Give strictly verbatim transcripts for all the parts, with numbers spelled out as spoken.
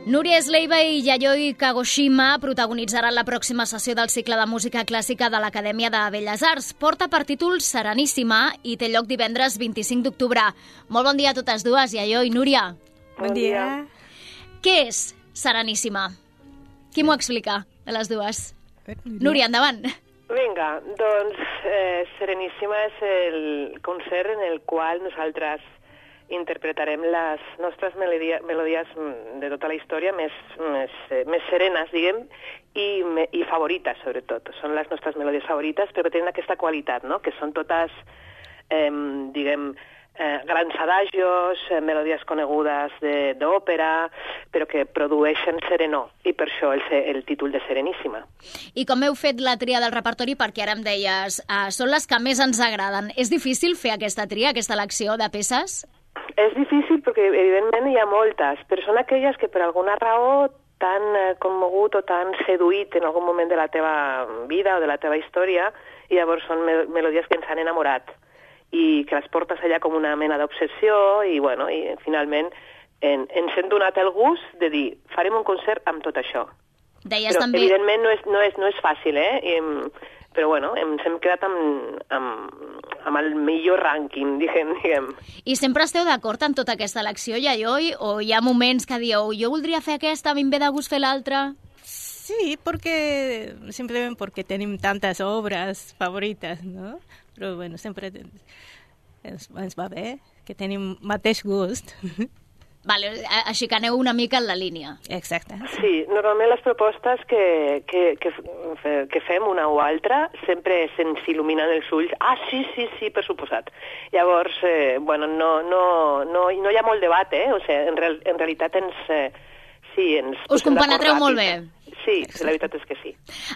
Núria Esleiva i Yayoi Kagoshima protagonitzaran la pròxima sessió del cicle de música clàssica de l'Acadèmia de Belles Arts. Porta per títol Sereníssima i té lloc divendres vint-i-cinc d'octubre. Molt bon dia a totes dues, Yayoi, Núria. Bon dia. Què és Sereníssima? Qui m'ho explica, de les dues? Núria, endavant. Vinga, doncs eh, Sereníssima és el concert en el qual nosaltres interpretarem les nostres melodia, melodies de tota la història més, més, més serenes, diguem, i, i favorites, sobretot. Són les nostres melodies favorites, però tenen aquesta qualitat, no?, que són totes, eh, diguem, eh, grans adagios, eh, melodies conegudes d'òpera, però que produeixen serenor, i per això el, el títol de Sereníssima. I com heu fet la tria del repertori, perquè ara em deies, eh, són les que més ens agraden. És difícil fer aquesta tria, aquesta elecció de peces? És difícil perquè, evidentment, hi ha moltes, però són aquelles que per alguna raó t'han commogut o t'han seduït en algun moment de la teva vida o de la teva història, i llavors són melodies que ens han enamorat i que les portes allà com una mena d'obsessió i, bueno, i finalment en, ens hem donat el gust de dir farem un concert amb tot això. Deies però, també... evidentment, no és, no és, no és fàcil, eh? I, però, bueno, ens hem quedat amb, amb, amb el millor rànquing, diguem, diguem. I sempre esteu d'acord amb tota aquesta elecció, Yayoi? O hi ha moments que dieu, jo voldria fer aquesta, a mi em ve de gust fer l'altra? Sí, porque simplemente porque tenemos tantas obras favoritas, ¿no? Pero bueno, sempre ens, ens va bé que tenim mateix gust. Vale, així que aneu una mica en la línia. Exacte. Sí, normalment les propostes que, que, que, que fem una o altra sempre se'ns il·luminen els ulls. Ah, sí, sí, sí, per suposat. Llavors, eh, bueno, no, no, no, no hi ha molt debat, eh? O sigui, en, real, en realitat ens... Eh, sí, ens... Us compenetreu molt bé. Sí, la veritat és que sí.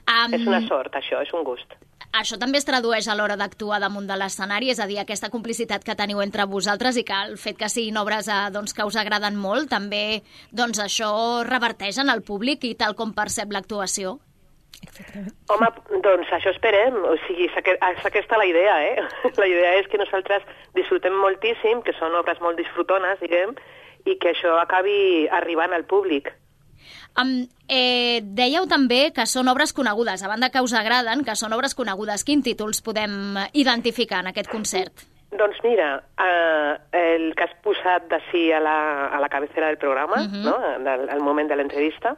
Um... És una sort, això, és un gust. Això també es tradueix a l'hora d'actuar damunt de l'escenari, és a dir, aquesta complicitat que teniu entre vosaltres i que el fet que siguin obres eh, doncs, que us agraden molt, també doncs, això reverteix en el públic i tal com percep l'actuació. Exactament. Home, doncs això esperem, o sigui, és aquesta la idea, eh? La idea és que nosaltres disfrutem moltíssim, que són obres molt disfrutones, diguem, i que això acabi arribant al públic. Um, eh, dèieu també que són obres conegudes, a banda que us agraden, que són obres conegudes. Quins títols podem identificar en aquest concert? Doncs mira, eh, el que has posat d'ací a, la, a la cabecera del programa, uh-huh. no? Del, al moment de l'entrevista,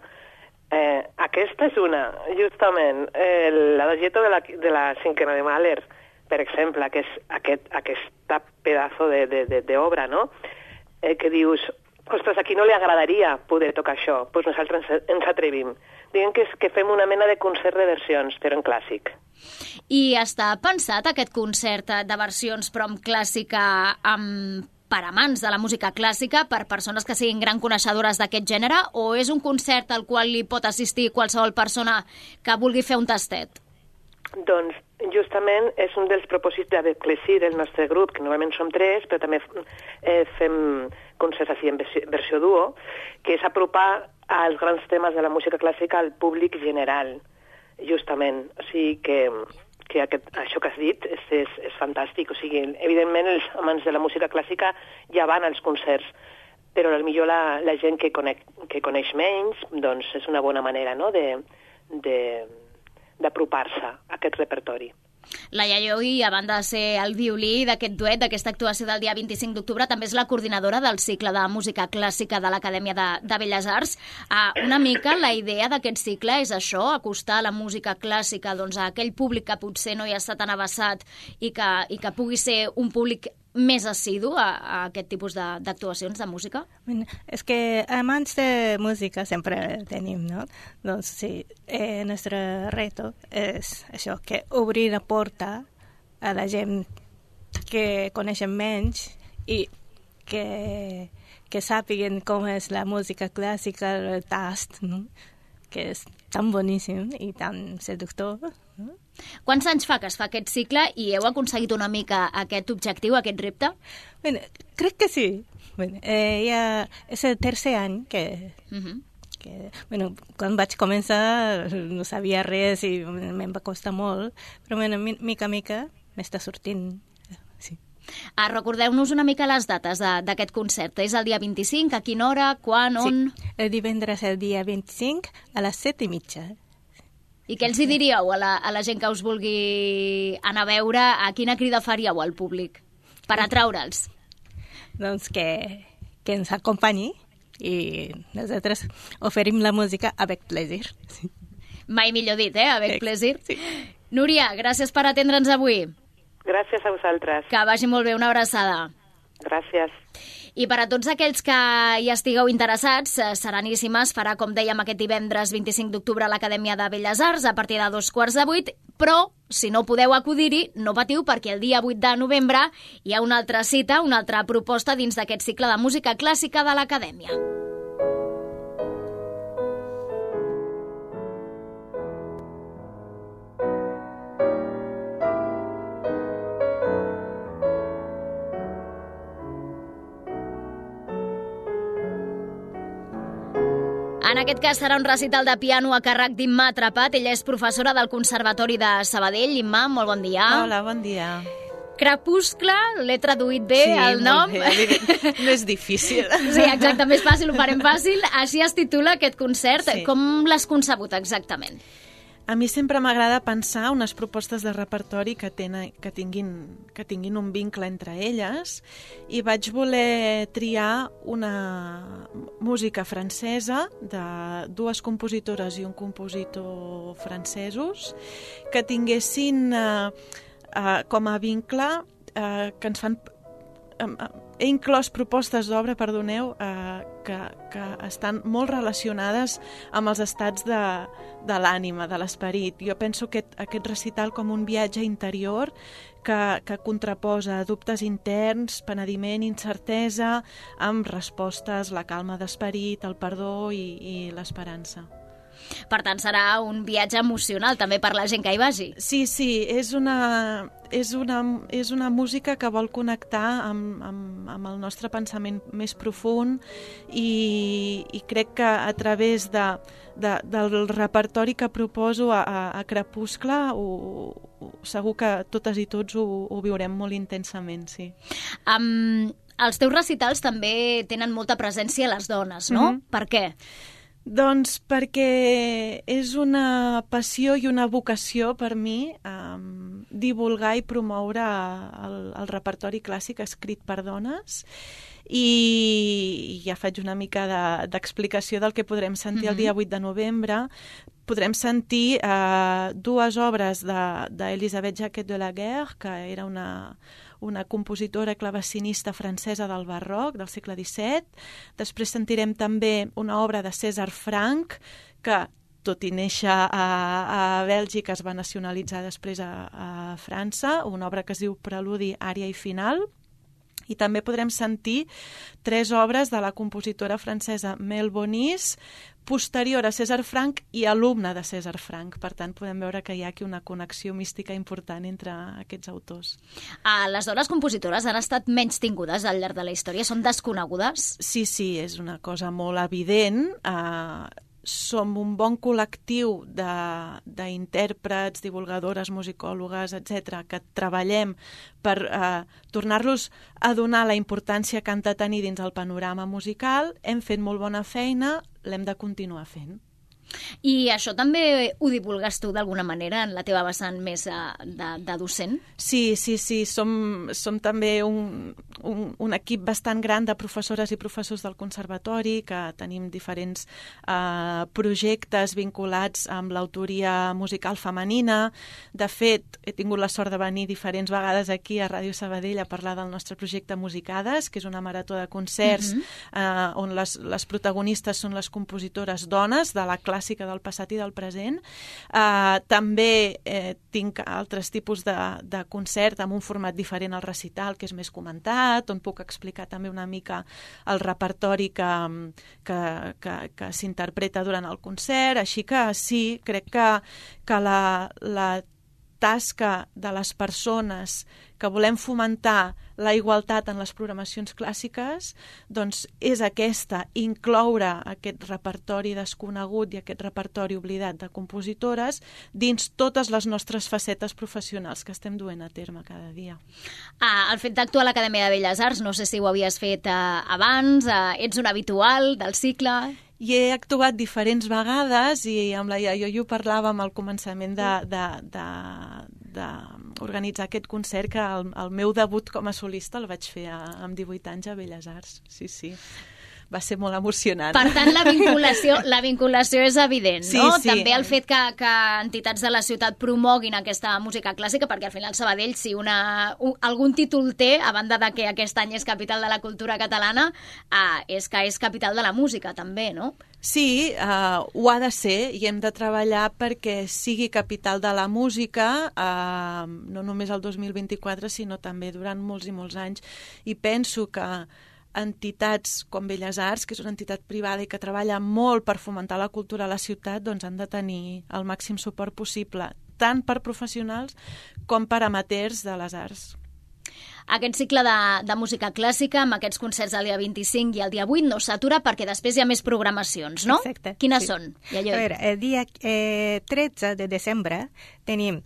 eh, aquesta és una, justament, eh, l'adagietto de la, de la cinquena de Mahler, per exemple, que és aquest, aquesta pedazo d'obra, no? Eh, que dius... Ostres, a qui no li agradaria poder tocar això? Doncs pues nosaltres ens, ens atrevim. Diguem que, és, que fem una mena de concert de versions, però en clàssic. I està pensat aquest concert de versions, però en clàssica, amb, per amants de la música clàssica, per persones que siguin gran coneixedores d'aquest gènere, o és un concert al qual li pot assistir qualsevol persona que vulgui fer un tastet? Doncs justament és un dels propòsits de Clesí del nostre grup, que normalment som tres, però també eh, fem concerts així en versió, versió duo, que és apropar als grans temes de la música clàssica al públic general, justament. O sigui que, que aquest, això que has dit és, és, és fantàstic. O sigui, evidentment els amants de la música clàssica ja van als concerts, però potser la, la gent que coneix, que coneix menys, doncs és una bona manera, no?, de... de d'apropar-se a aquest repertori. La Yayoi, a banda de ser el violí d'aquest duet, d'aquesta actuació del dia vint-i-cinc d'octubre, també és la coordinadora del cicle de música clàssica de l'Acadèmia de, de Belles Arts. Uh, una mica la idea d'aquest cicle és això, acostar la música clàssica doncs, a aquell públic que potser no hi està tan avessat i que, i que pugui ser un públic més assidu a, a aquest tipus d'actuacions de, de música? Bueno, és que amants de música sempre tenim, no? Doncs sí, eh, el nostre reto és això, que obrir la porta a la gent que coneixen menys i que, que sàpiguen com és la música clàssica, el tast, no? Que és tan boníssim i tan seductor, no? Quants anys fa que es fa aquest cicle i heu aconseguit una mica aquest objectiu, aquest repte? Bueno, crec que sí. Bueno, eh, ja és el tercer any que... Uh-huh. que bueno, quan vaig començar no sabia res i em va costar molt, però bueno, mica a mica m'està sortint. Sí. Ah, recordeu-nos una mica les dates d'aquest concert. És el dia vint-i-cinc, a quina hora, quan, on? Sí, el divendres el dia vint-i-cinc a les set i mitja. I què els hi diríeu a la, a la gent que us vulgui anar a veure? A quina crida faríeu al públic per atraure'ls? Doncs que, que ens acompanyi i nosaltres oferim la música avec plaisir. Sí. Mai millor dit, eh? Avec plaisir. Sí. Núria, gràcies per atendre'ns avui. Gràcies a vosaltres. Que vagi molt bé, una abraçada. Gràcies. I per a tots aquells que hi estigueu interessats, Sereníssimes farà, com dèiem, aquest divendres vint-i-cinc d'octubre a l'Acadèmia de Belles Arts a partir de dos quarts de vuit, però si no podeu acudir-hi, no patiu, perquè el dia vuit de novembre hi ha una altra cita, una altra proposta dins d'aquest cicle de música clàssica de l'Acadèmia. En aquest cas serà un recital de piano a càrrec d'Imma Atrapat. Ella és professora del Conservatori de Sabadell. Imma, molt bon dia. Hola, bon dia. Crepuscle, l'he traduït bé, sí, el nom. Sí, molt bé. Més difícil. Sí, exacte, més fàcil, ho farem fàcil. Així es titula aquest concert. Sí. Com l'has concebut exactament? A mi sempre m'agrada pensar unes propostes de repertori que, tenen, que, tinguin, que tinguin un vincle entre elles i vaig voler triar una música francesa de dues compositores i un compositor francesos que tinguessin eh, eh, com a vincle eh, que ens fan... Eh, he inclòs propostes d'obra, perdoneu, eh, que, que estan molt relacionades amb els estats de, de l'ànima, de l'esperit. Jo penso que aquest recital com un viatge interior que, que contraposa dubtes interns, penediment, incertesa, amb respostes, la calma d'esperit, el perdó i, i l'esperança. Per tant, serà un viatge emocional també per la gent que hi vagi. Sí, sí, és una, és una, és una música que vol connectar amb, amb, amb el nostre pensament més profund i, i crec que a través de, de, del repertori que proposo a, a, a Crepuscle ho, ho, segur que totes i tots ho, ho viurem molt intensament, sí. Um, els teus recitals també tenen molta presència a les dones, no? Mm-hmm. Per què? Doncs perquè és una passió i una vocació per mi um, divulgar i promoure el, el repertori clàssic escrit per dones i ja faig una mica d'explicació de, del que podrem sentir mm-hmm. el dia vuit de novembre. Podrem sentir uh, dues obres d'Elisabeth de, Jacquet de la Guerre, que era una... una compositora clavecinista francesa del barroc, del segle disset. Després sentirem també una obra de César Franck, que, tot i néixer a, a Bèlgica, es va nacionalitzar després a, a França, una obra que es diu Preludi, ària i final. I també podrem sentir tres obres de la compositora francesa Mel Bonis, posterior a César Franck i alumne de César Franck. Per tant, podem veure que hi ha aquí una connexió mística important entre aquests autors. Ah, les dones compositores han estat menys tingudes al llarg de la història? Són desconegudes? Sí, sí, és una cosa molt evident. Uh, som un bon col·lectiu d'intèrprets, divulgadores, musicòlogues, etcètera, que treballem per eh, tornar-los a donar la importància que han de tenir dins el panorama musical. Hem fet molt bona feina, l'hem de continuar fent. I això també ho divulgues tu d'alguna manera en la teva vessant més de, de docent? Sí, sí, sí. Som, som també un, un, un equip bastant gran de professores i professors del conservatori, que tenim diferents eh, projectes vinculats amb l'autoria musical femenina. De fet, he tingut la sort de venir diferents vegades aquí a Ràdio Sabadell a parlar del nostre projecte Musicades, que és una marató de concerts mm-hmm. eh, on les, les protagonistes són les compositores dones de la clàssica del passat i del present. Uh, també eh, tinc altres tipus de, de concert amb un format diferent al recital, que és més comentat, on puc explicar també una mica el repertori que, que, que, que s'interpreta durant el concert. Així que sí, crec que, que la, la tasca de les persones que volem fomentar la igualtat en les programacions clàssiques, doncs és aquesta, incloure aquest repertori desconegut i aquest repertori oblidat de compositores dins totes les nostres facetes professionals que estem duent a terme cada dia. Ah, el fet d'actuar a l'Acadèmia de Belles Arts, no sé si ho havies fet eh, abans, eh, ets un habitual del cicle... I he actuat diferents vegades i amb la Iaio ho parlàvem al començament de, de, de, de organitzar aquest concert, que el, el meu debut com a solista el vaig fer a, amb divuit anys a Belles Arts. Sí, sí. Va ser molt emocionant. Per tant, la vinculació, la vinculació és evident, sí, no? Sí. També el fet que, que entitats de la ciutat promoguin aquesta música clàssica, perquè al final Sabadell, si una, un, algun títol té, a banda de que aquest any és capital de la cultura catalana, eh, és que és capital de la música, també, no? Sí, uh, ho ha de ser i hem de treballar perquè sigui capital de la música, uh, no només el dos mil vint-i-quatre, sinó també durant molts i molts anys. I penso que entitats com Belles Arts, que és una entitat privada i que treballa molt per fomentar la cultura a la ciutat, doncs han de tenir el màxim suport possible, tant per professionals com per amateurs de les arts. Aquest cicle de, de música clàssica, amb aquests concerts el dia vint-i-cinc i el dia vuit, no s'atura perquè després hi ha més programacions, no? Exacte. Quines sí. són? A veure, el dia eh, tretze de desembre tenim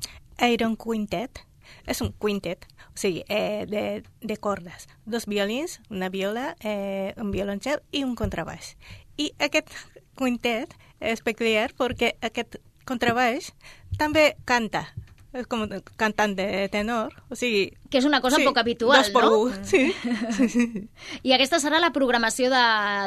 Iron Quintet, és un quintet, o sigui, eh, de, de cordes, dos violins, una viola, eh, un violoncel i un contrabaix. I aquest quintet és peculiar perquè aquest contrabaix també canta, és com un cantant de tenor, o sigui... Que és una cosa sí, poc habitual, dos per no? un, sí. I aquesta serà la programació de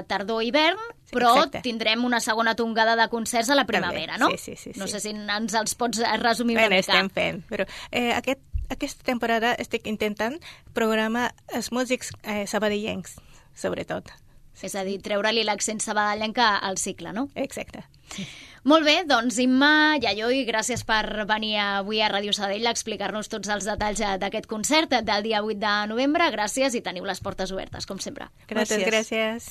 tardor-hivern, però exacte. Tindrem una segona tongada de concerts a la primavera, també. no? Sí, sí, sí, no sí. sé si ens els pots resumir una ben, mica. Estem fent, però eh, aquest, aquesta temporada estic intentant programar els músics eh, sabadellencs, sobretot. És a dir, treure-li l'accent sabadellenca al cicle, no? Exacte. Molt bé, doncs Imma, Yayoi, gràcies per venir avui a Ràdio Sabadell a explicar-nos tots els detalls d'aquest concert del dia vuit de novembre. Gràcies i teniu les portes obertes, com sempre. Gràcies. Moltes gràcies.